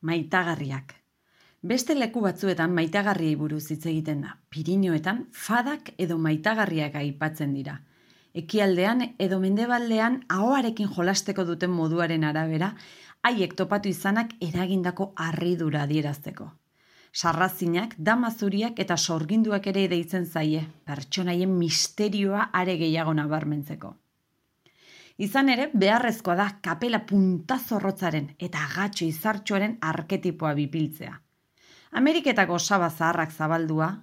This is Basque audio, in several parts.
Maitagarriak. Beste leku batzuetan maitagarriei buruz hitz egiten da. Pirinioetan fadak edo maitagarriak aipatzen dira. Ekialdean edo mendebaldean ahoarekin jolasteko duten moduaren arabera, haiek topatu izanak eragindako harridura adierazteko. Sarrazinak, damazuriak eta sorginduak ere deitzen zaie, pertsonaien misterioa are gehiago nabarmentzeko. Izan ere, beharrezkoa da kapela puntazorrotzaren eta agatxo izartxoaren arketipoa bipiltzea. Ameriketako osaba zaharrak zabaldua,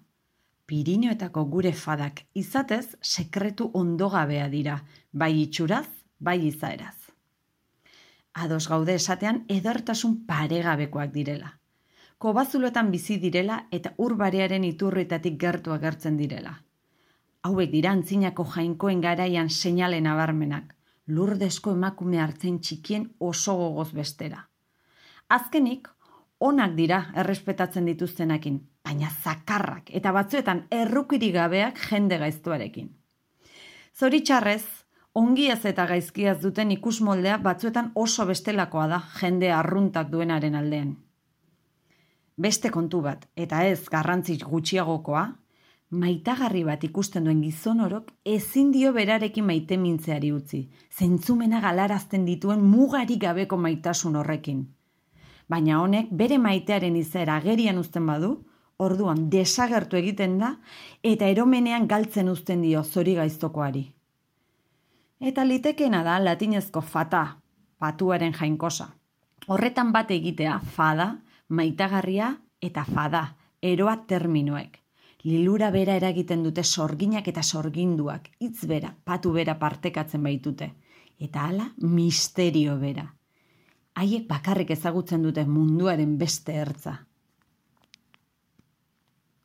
Pirinioetako gure fadak izatez sekretu ondogabea dira, bai itxuraz, bai izaeraz. Ados gaude esatean edertasun paregabekoak direla. Kobazuloetan bizi direla eta urbarearen iturritatik gertu agertzen direla. Hauek dira antzinako jainkoen garaian seinale nabarmenak, lurdesko emakume hartzen txikien oso gogoz bestera. Azkenik, onak dira errespetatzen dituztenakin, baina zakarrak eta batzuetan errukirik gabeak jende gaiztuarekin. Zoritxarrez, ongiaz eta gaizkiaz duten ikusmoldea batzuetan oso bestelakoa da jende arruntak duenaren aldean. Beste kontu bat, eta ez garrantzi gutxiagokoa, maitagarri bat ikusten duen gizon orok ezin dio berarekin maite mintzeari utzi, zentzumena galarazten dituen mugarik gabeko maitasun horrekin. Baina honek bere maitearen izaera agerian uzten badu, orduan desagertu egiten da eta eromenean galtzen uzten dio zori gaiztokoari. Eta litekeena da latinezko fata, patuaren jainkosa. Horretan bat egitea fada, maitagarria eta fada, eroa terminoek. Lilura bera eragiten dute sorginak eta sorginduak, hitz bera, patu bera partekatzen baitute. Eta hala, misterio bera. Haiek bakarrik ezagutzen dute munduaren beste ertza.